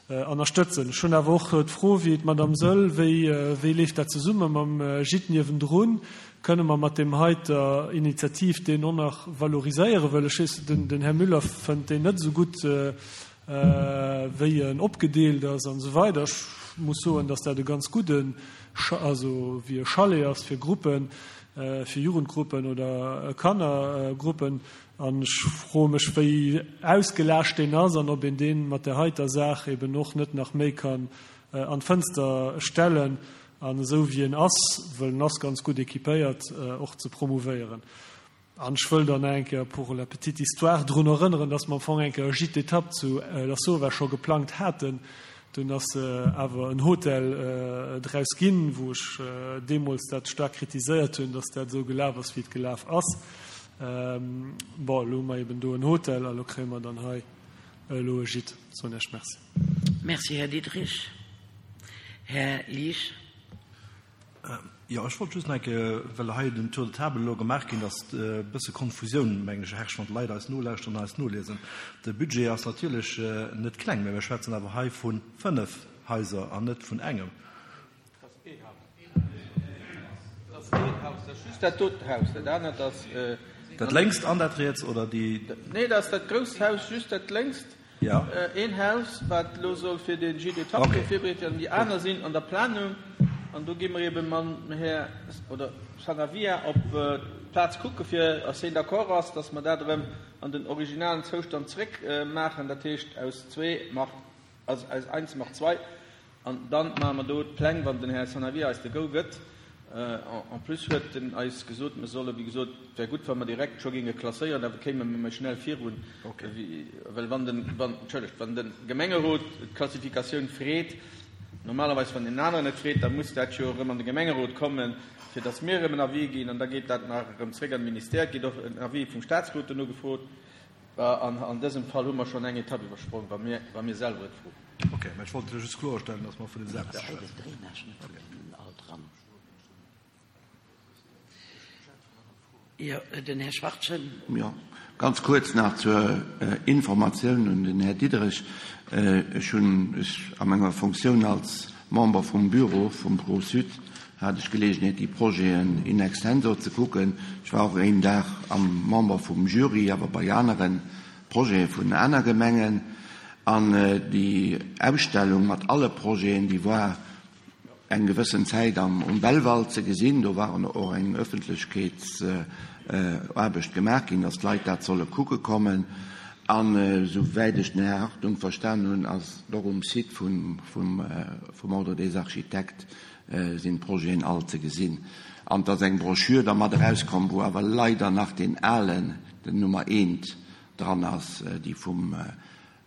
ënnerstëtzen. Ech hunn awer och d'Fro, wéi d'Madame Söll, wéi, wéi leeft dat zesumme mam Gîte niewendrun? Kënne mer mat deem heiter Initiativ deen och nach valoriséieren? Well ech weess, den, den Här Müller fënnt deen net esou gutt, wéi en opgedeelt ass an esou weider. Ech muss soen, dass dat e ganz gudden, also wéi e Chalet ass fir Gruppen, fir Jugendgruppen oder Kannergruppen. An ech froe mech, wéi ausgelaascht deen ass an ob een dee mat där heiter Saach eben och net nach méi kann an d'Fënster stellen an esou wéi en ass, wëll en ass ganz gutt équipéiert, och ze promouvéieren. An ech wëll dann nach eng Kéier pour la petite histoire drun erënneren, dass mer am Fong eng Kéier e Gîte d'étape zu Lassowag scho geplangt haten. Dunn ass awer en Hotel draus ginn, wou ech deemools dat staark kritiséiert hunn, dass dat esou gelaf ass, wéi et gelaf ass. Bon, elo hu mer eben do en Hotel a lo kréie mer dann hei elo e Gîte. Soen Iech Merci. Merci, Här Diderich. Här Liesch. Jo, ech wollt just nach eng Kéier, well hei den Tour de table elo gemaach ginn ass, e bësse Konfusioun, mengen ech, herrscht, wann d'Leit eis nolauschteren an eis noliesen. De Budget ass natierlech net kleng, mä mir schwätzen awer hei vu fënnef Haiser an net vun engem. Dat ass ee Haus. Dat ass een Haus, dat ass just dat doten Haus. Dat anert ass. Dat lénkst an dat riets, oder déi? Nee, dat ass dat grousst Haus, just dat lénkst. Ja. Een Haus, wat elo soll fir de Gîte d'étape do virbereet ginn, an déi aner sinn an der Planung. An do gi mer ebe mam Här oder Sanavia op d'Plaz kucke fir, ass hien d'accord ass, dass mer dat erëm an den originalen Zoustand zréck maachen, dat heescht aus zwee macht, also aus eins macht zwei. An dann maache mer do d'Pläng, wann den Här Sanavia eis de Go gëtt. En plus huet en eis gesot, mer solle, wéi gesot, et wär gutt, wa mer direkt scho géinge klasséieren, da kéime mer méi schnell virun, well wann den, wann, entschëllegt, wann de Gemengerot d'Klassifikatioun freet, normalerweis wann deen aneren et freet, da muss dat jo erëm an de Gemengerot kommen, fir datt mir erëm en Avis ginn, an da geet dat nach erëm zréck an de Ministère, et gétt och en Avis vum Statsrot dono gefrot. An an dësem Fall hu mer schonn eng Etapp iwwersprong, wa mir, wa mir selwer et froen. Okay, mä ech wollt just kloerstellen, datt mer vun deem selwechte schwätzen. Jo, den Här Schwachtgen. Jo, ganz kuerz nach zur Informatioun un den Här Diderich. Ech hunn, ech a menger Funktioun als Member vum Büro vum Pro-Sud hat ech Geleegenheet, déi Projeten in extenso ze kucken. Ech war och een Dag am Member vum Jury, awer bei anere Projete vun aner Gemengen. An déi Ausstellung mat alle Projeten, déi war eng gewëssen Zäit am um Belval ze gesinn. Do war och eng Ëffentlechkeetsaarbecht gemaach ginn, datt d'Leit dat solle kucke kommen. An esouwäit ech den Här Hartung verstan hunn, ass et och um Site vum vum Ordre des Architectes sinn d'Projeten all ze gesinn. An et ass eng Broschür da mat erauskomm, wou awer leider nach deen alen, den Nummer eent dran ass, déi vum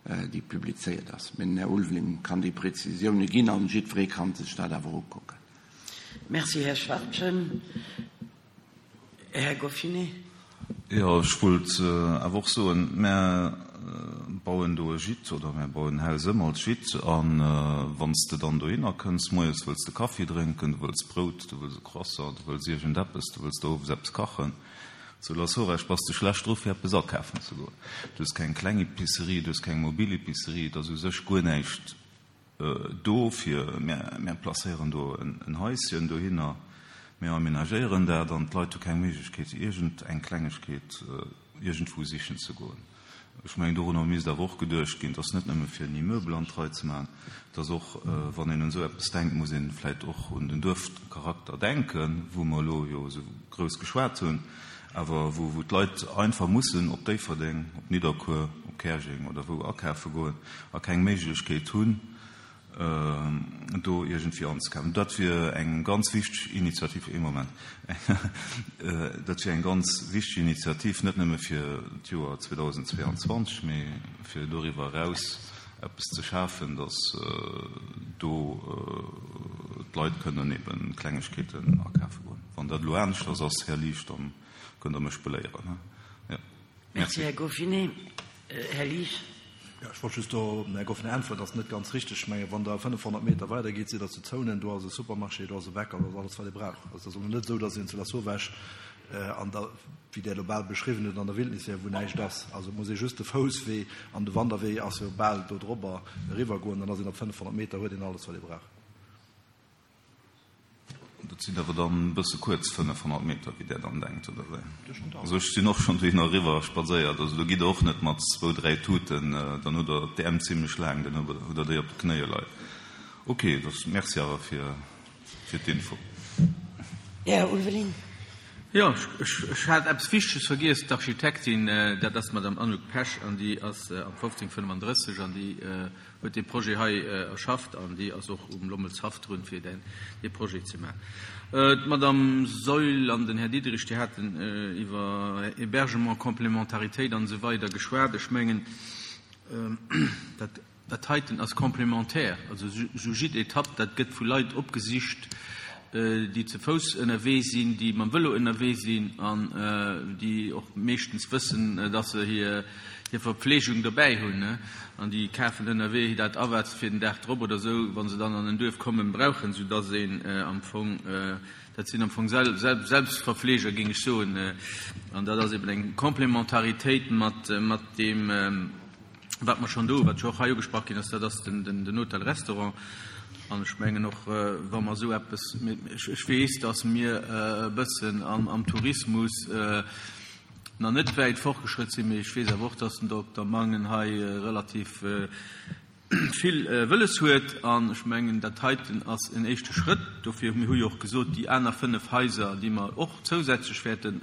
déi publizéiert ass. Mee den Här Ulveling kann déi Prezisioune ginn an jiddweree kann sech dat awer ukucken. Merci, Här Schwachtgen. Här Goffinet. Jo, ech wollt awer och soen, mär bauen do e Gîte oder mär bauen en Haus ëm als Gîte a wann s de dann dohinner kënns moies, wëlls de Kaffi drénken, du wëlls Brout, du wëlls e Croissant, du wëlls iergendeppes, du wëlls der owes eppes kachen. Zu Lasauvage bass de schlecht dru fir eppes akafen ze goen. Du hues keng kleng Epicerie, du hues keng mobil Epicerie, et ass u sech guer näischt do fir mir, mir placéieren do en, en Haischen dohinner, mir amenagéieren dat an d'Leit hu keng Méiglechkeet iergend eng Klengegkeet iergendwou sichen ze goen. Ech mengen, dorunner misst awer och geduecht ginn, dass net nëmme fir en Immeuble an d'Rei ze maachen, dass och, wann een un esou eppes denkt, muss een vläicht och un den Duerfcharakter denken, wou mer elo jo esou grouss geschwat hunn, awer wou, wou d'Leit einfach mussen op Déifferdeng, op Nidderkuer, op Käerjeng oder wou akafe goen a keng Méiglechkeet hunn, do iergendwéi anzekafen. Dat wier eng ganz wichteg Initiativ, ee Moment, dat wier eng ganz wichteg Initiativ, net nëmme fir d'Joer zweedausendzweeanzwanzeg, mee fir doriwwer eraus eppes ze schafen, dass do d'Leit kënnen eben Klengegkeeten akafe goen. Wann dat elo aneschters ass, Här Liesch, da kënnt Der mech beléieren. Jo. Merci, Här Goffinet. Här Liesch. Jo, ech wollt just do dem Här Goffinet äntweren, dat ass net ganz richteg. Ech mengen, wann Der fënnefhonnert Meter weider gitt, sidd Der zu Zounen, do ass e Supermarché, do ass e Bäcker, do ass alles, wat ee brauch. Also et ass elo net esou, datt een zu Lasauvage an der, wéi Der elo bal beschriwwen hutt, an der Wildnis wär, wou näischt ass. Also et muss ee just de Fousswee an de Wanderwee ass jo bal do drobber eriwwergoen, dann ass een op fënnefhonnert Meter, huet een alles, wat ee brauch. Dat sinn awer dann e bësse kuerz fënnefhonnert Meter, wéi Der dann denkt, oder wéi? Also ech sinn och schonn dohinner eriwwer spadséiert. Also do gitt Der och net mat zwou, dräi Tuten, dann hutt Der d'Äerm zimlech laang, dann hutt Der déi op de Knéie leien. Okay, dat, merci awer fir, fir d'Info. Här Ulveling. Jo, ech, ech hat eppes Wichteges vergiess, D'Architektin, dat ass d'Madame Anouk Pesch an déi ass am fofzéng fënnefandrësseg an déi huet dee Projet hei erschafft an déi ass och um Lommelshaff drun, fir dee Projet ze maachen. D'Madame Saeul an den Här Diderich, déi haten iwwer Hébergement, Complémentaritéit an esou weider geschwat. Ech mengen, dat, dat heiten ass complémentaire, also esou jidd Etapp, dat gëtt vu Leit opgesicht, déi ze Fouss ënnerwee sinn, déi mam Vëlo ënnerwee sinn an déi och meeschtens wëssen, dass se hir hir Verpflegung dobäi hunn, an déi kafen ënnerwee dat a wat se fir den Dag drop oder esou, wa se dann an en Duerf kommen, brauchen, soudass een am Fong, dat sinn am Fong Selbstverpfleger, géing ech soen, an dat ass eben eng Complémentaritéit mat mat deem, wat mer schonn do, wat jo och hei ugesprach ginn ass, dat ass den den Hotel-Restaurant. An ech mengen och, wa mer esou eppes, ech weess, datt mir e bëssen am Tourismus nach net wäit fortgeschrëtt sinn, mee ech weess awer och, datt den Dokter Mangen hei relativ vill wëlles huet. An ech mengen, dat heiten ass en éischte Schrëtt dofir. Mir hu jo och gesot, déi aner fënnef Haiser, déi mer och zousätzlech wäerten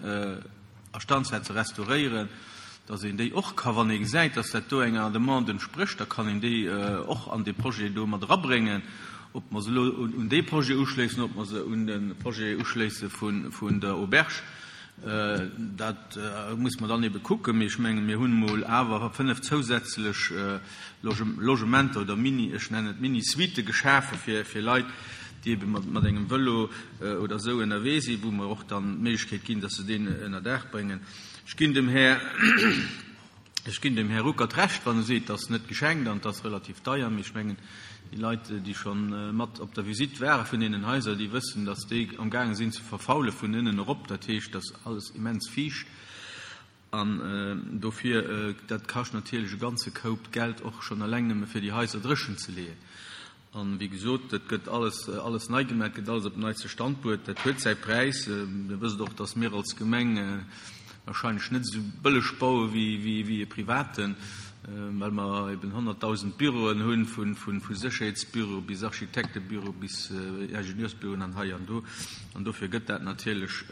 a Stand setzen, restauréieren, dass een déi och ka, wann ee gesäit, dass dat do enger Demande entsprécht, da kann een déi och an dee Projet do mat erabréngen. Ob mer se elo un dee Projet uschléissen, ob mer se un de Projet uschléisse vun der Auberge, dat muss mer dann ebe kucken. Mee ech menge mir hunn emol awer fënnef zousätzlech Logementer oder Mini, ech nennen et Mini-Suitë geschafe fir Leit, déi ebe mat engem Vëlo oder esou ënnerwee sinn, wou mer och dann d'Méiglechkeet ginn, dass se deen ënnerdaach bréngen. Ech ginn dem Här, ech ginn dem Här Ruckert Recht, wann e seet, dat ass net geschenkt an dat ass relativ deier. Mee ech mengen, déi Leit, déi scho mat op der Visitt ware vun deenen Haiser, déi wëssen, dass déi amgaange sinn ze verfaule vun ënnen erop. Dat heescht, dat ass alles immens fiicht. An dofir, dat kascht natierlech e ganze Koup Geld, och schonn eleng nëmme fir déi Haiser dréchen ze leeën. An, wéi gesot, et gëtt alles, alles nei gemaach, et gëtt alles op den neiste Stand bruet. Dat huet säi Präis. Dir wësst och, dass mir als Gemeng wahrscheinlech net esou bëlleg baue wéi e Privaten, well mer eben honnertdausend Büroen hunn, vu Sécherheetsbüro bis Architektebüro bis Ingenieursbüroen an hei an do. An dofir gëtt dat natierlech,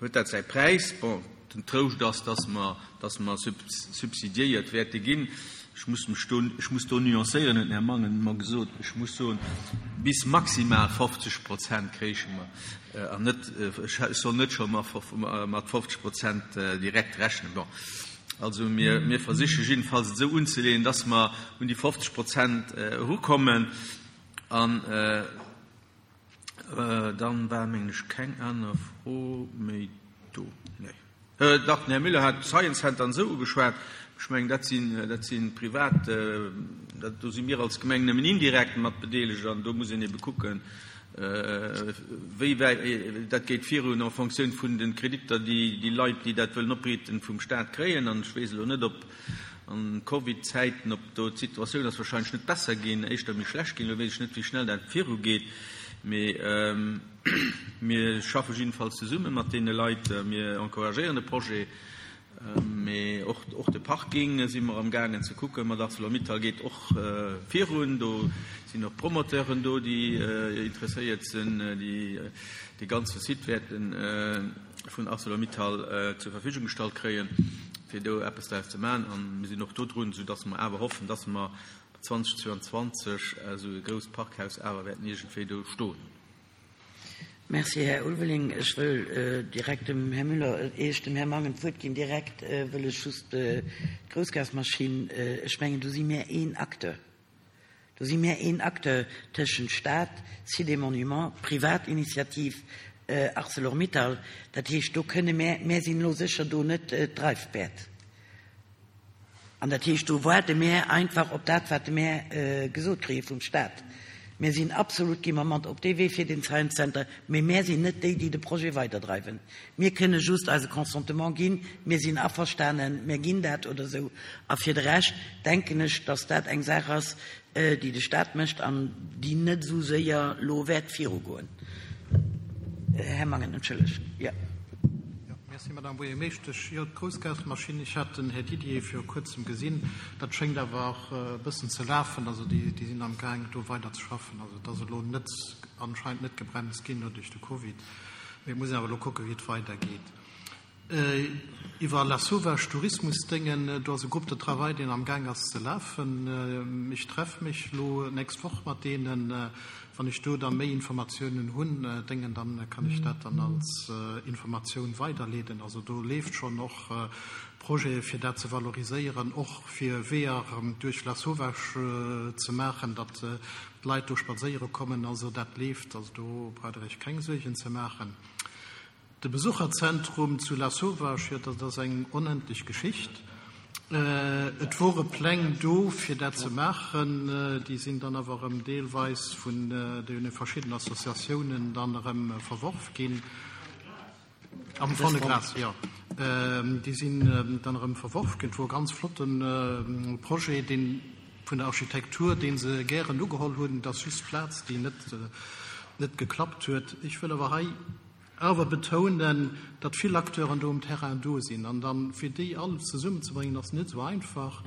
huet dat säi Präis. Bon, den Trouscht ass, dass mer, dass mer subsidiéiert wäerte ginn. Ech muss mech do, ech muss do nuancéieren, huet den Här Mangen mer gesot. Ech muss soen, bis maximal fofzeg Prozent kréiche mer an net, ech soll net scho mat fofzeg Prozent direkt rechnen. Bon, also mir, mir versiche jiddefalls et esou unzeleeën, dass mer un déi fofzeg Prozent erukommen. An dann war, mengen ech, keng aner Fro méi do. Nee. Dach, den Här Müller hat d'Science Center an esou ugeschwat. Ech mengen, dat sinn, dat si privat, dat, do si mir als Gemeng nëmmen indirekt mat bedeelegt an do muss een ebe kucken, wéi wäit dat geet virun en fonction vun de Kreditter, déi déi Leit, déi dat wëllen opriiten, vum Stat kréien. An ech weess elo net, ob, An Covid-Zäiten, ob do d'Situatioun ass wahrscheinlech net besser ginn, éischter méi schlecht ginn, elo weess ech net, wéi schnell dat virugeet, mee mir schaffe jiddefalls zesumme mat deene Leit, mir encouragéieren de Projet, mee och, och de Parking si mer amgaangen ze kucken, mat Arcelor-Mittal geet och virun, do sinn och Promoteuren do, déi interesséiert sinn, déi dee ganze Site wäerte vun Arcelor-Mittal zur Verfügung gestallt kréien, fir do eppes draus ze maachen. A mir sinn och do drun, soudass mer awer hoffen, dass mer zweitausendzweiundzwanzeg esou e grousst Parkhaus awer wäerten iergendwéi do stoen hunn. Merci, Här Ulveling. Ech wëll direkt dem Här Müller, ier ech dem Här Mangen d'Wuert ginn, direkt wëll ech just d'Groussgasmaschinn, ech mengen, do si mir een Acteur. Do si mir een Acteur tëschent Stat, Site des Monuments, Privatinitiativ, Arcelor-Mittal. Dat heescht, do kënne mär, mär sinn elo sécher do net d'Dreifpäerd. An dat heescht, do waarde mär einfach op dat, wat mär gesot kréie vum Stat. Mär sinn absolut, gi mer mat op dee Wee fir den Science Center, mee mär sinn net déi, déi de Projet weiderdreiwen. Mir kënne just eise Consentement ginn, mir sinn averstanen, mär ginn dat oder esou. A fir de Rescht denken ech, dass dat eng Saach ass, déi de Stat mécht an déi net esou séier elo wäert virugoen. Här Mangen, entschëllegt. Jo. Jo, merci, Madame Buergermeeschtesch. Jo, d'Groussgasmaschinn, ech hat den Här Didier viru Kuerzem gesinn, dat schéngt awer och e bëssen ze lafen. Also déi, déi sinn amgaang, do weider ze schaffen. Also et ass elo net, anscheinend net gebremst ginn do duerch de Covid. Mee et muss een awer elo kucken, wéi et weidergeet. Iwwer Lasauvage Tourismusdéngen, do ass e Groupe de travail, deen amgaang ass ze lafen. Ech treff mech elo nächst Woch mat deenen. Wann ech do da méi Informatiounen hunn, déngen, dann kann ech dat dann als Informatioun weiderleeden. Also do leeft schonn och Projete fir dat ze valoriséieren, och fir Weeër duerch Lasauvage ze maachen, datt d'Leit do spadséiere kommen. Also dat leeft, also do braucht Der Iech keng Suergen ze maachen. De Besucherzentrum zu Lasauvage, jo, dat ass eng onendlech Geschicht. Et wore Pläng do, fir dat ze maachen. Déi sinn dann awer erëm deelweis vun deene verschiddenen Associatiounen dann erëm verworf ginn. Am Fond-de-Gras, jo. Déi sinn dann erëm verworf ginn. Et wor e ganz flotte Projet, dee vun der Architektur, dee se gären ugeholl hunn. Et ass just d'Plaz, déi net, net geklappt huet. Ech wëll awer hei awer betounen, datt vill Acteuren do um Terrain do sinn. An dann, fir déi all zesummenzebréngen, ass net esou einfach.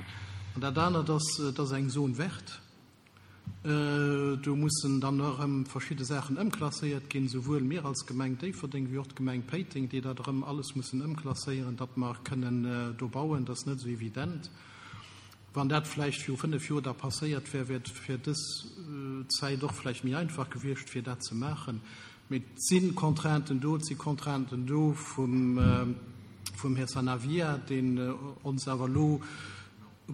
An dat anert ass, et ass eng Zone verte. Do mussen dann erëm verschidde Saachen ëmklasséiert ginn, souwuel mir als Gemeng Déifferdeng wéi och d'Gemeng Péiteng, déi dat erëm alles mussen ëmklasséieren, datt mer kënnen do bauen. Dat ass net esou evident. Wann dat vläicht viru fënnef Joer da passéiert wär, wär et fir dës Zäit och vläicht méi einfach gewiescht, fir dat ze maachen. Mee et si Contrainten do, et si Contrainten do vum, vum Här Sanavia, deen ons awer elo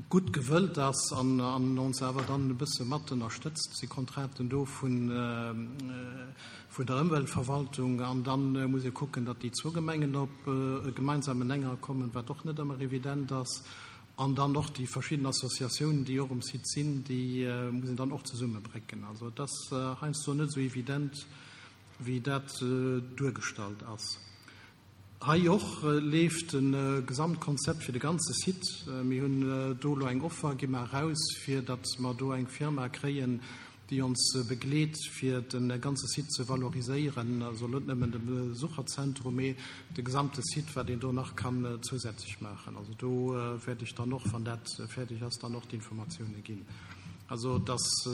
gutt gewëllt ass an, an ons awer dann e bësse mat ënnerstëtzt. Et si Contrainten do vun, vun der Ëmweltverwaltung. An da muss ee kucken, datt déi zwou Gemengen op e gemeinsamen Nenner kommen, wat och net ëmmer evident ass. An dann och déi verschidden Associatiounen, déi och um Site sinn, déi muss een dann och zesummebrécken. Also et ass heiansdo net esou evident, wéi dat duergestallt ass. Hei och leeft e Gesamtkonzept fir de ganze Site. Mir hunn do elo eng Offer, gi mer eraus, fir datt mer do eng Firma kréien, déi ons begleet, fir de ganze Site ze valoriséieren, also net nëmmen de Besucherzentrum, mee de gesamte Site, wat een do nach kann zousätzlech maachen. Also do wäert ech dann och, wann dat fäerdeg ass, dann och d'Informatioune ginn. Also et ass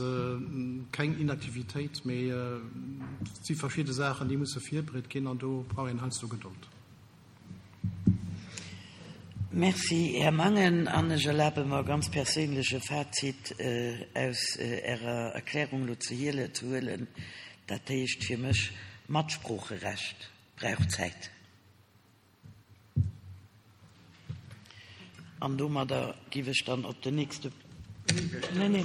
keng Inaktivitéit, mee et si verschidde Saachen, déi musse virbereet ginn an do brauch een heiansdo Gedold. Merci, Här Mangen. An ech erlabe mer ganz perséinlech e Fazit aus Ärer Erklärung elo ze huelen. Dat heescht fir mech, Matsproocherecht brauch Zäit. An domadder giff ech dann op den nächste. Nee, nee,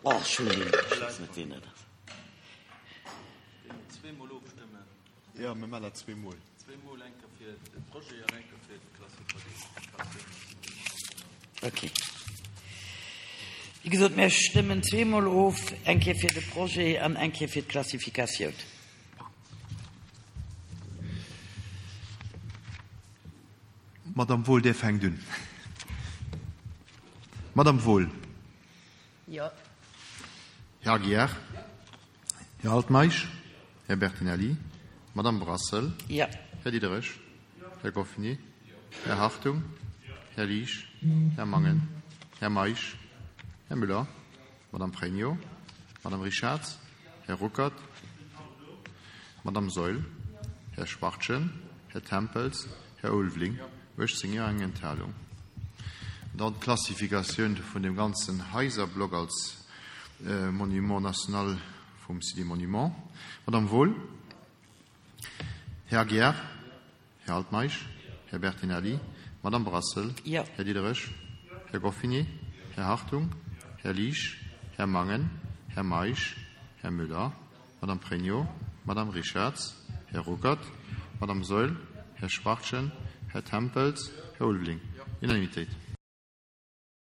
oh, Entschuldigung, ech weess net, wien dat ass. Zweemol ofstëmmen. Jo, mir maachen dat zweemol. Zweemol, eng Kéier fir de Projet an eng Kéier fir d'Klassifikatioun. Okay. Wéi gesot, mir stëmmen zweemol of, eng Kéier fir de Projet an eng Kéier fir d'Klassifikatioun. Madame Wohl, Dir fänkt un. Madame Wohl. Jo. Här Aguiar. Här Altmeisch. Här Bertinelli. Madame Brassel. Jo. Här Diderich. Här Goffini. Här Hartung. Här Liesch. Här Mangen. Här Meisch. Här Müller. Madame Pregno. Madame Richarz. Här Ruckert. Madame Seul. Här Schwartchen. Här Tempels. Här Ulvling. uechtzéng Jo, eng Enthalung. Dann d'Klassifikatioun vun dem ganzen Haiserblock als Monument national vum Site des Monuments. Madame Wohl. Här Aguiar. Här Altmeisch. Här Bertinelli. Madame Brassel. Jo. Här Diderich. Här Goffini. Här Hartung. Här Liesch. Här Mangen. Här Meisch. Här Müller. Madame Pregno. Madame Richarz. Här Ruckert. Madame Seul. Här Schwartchen. Här Tempels. Här Ulveling. Unanimitéit.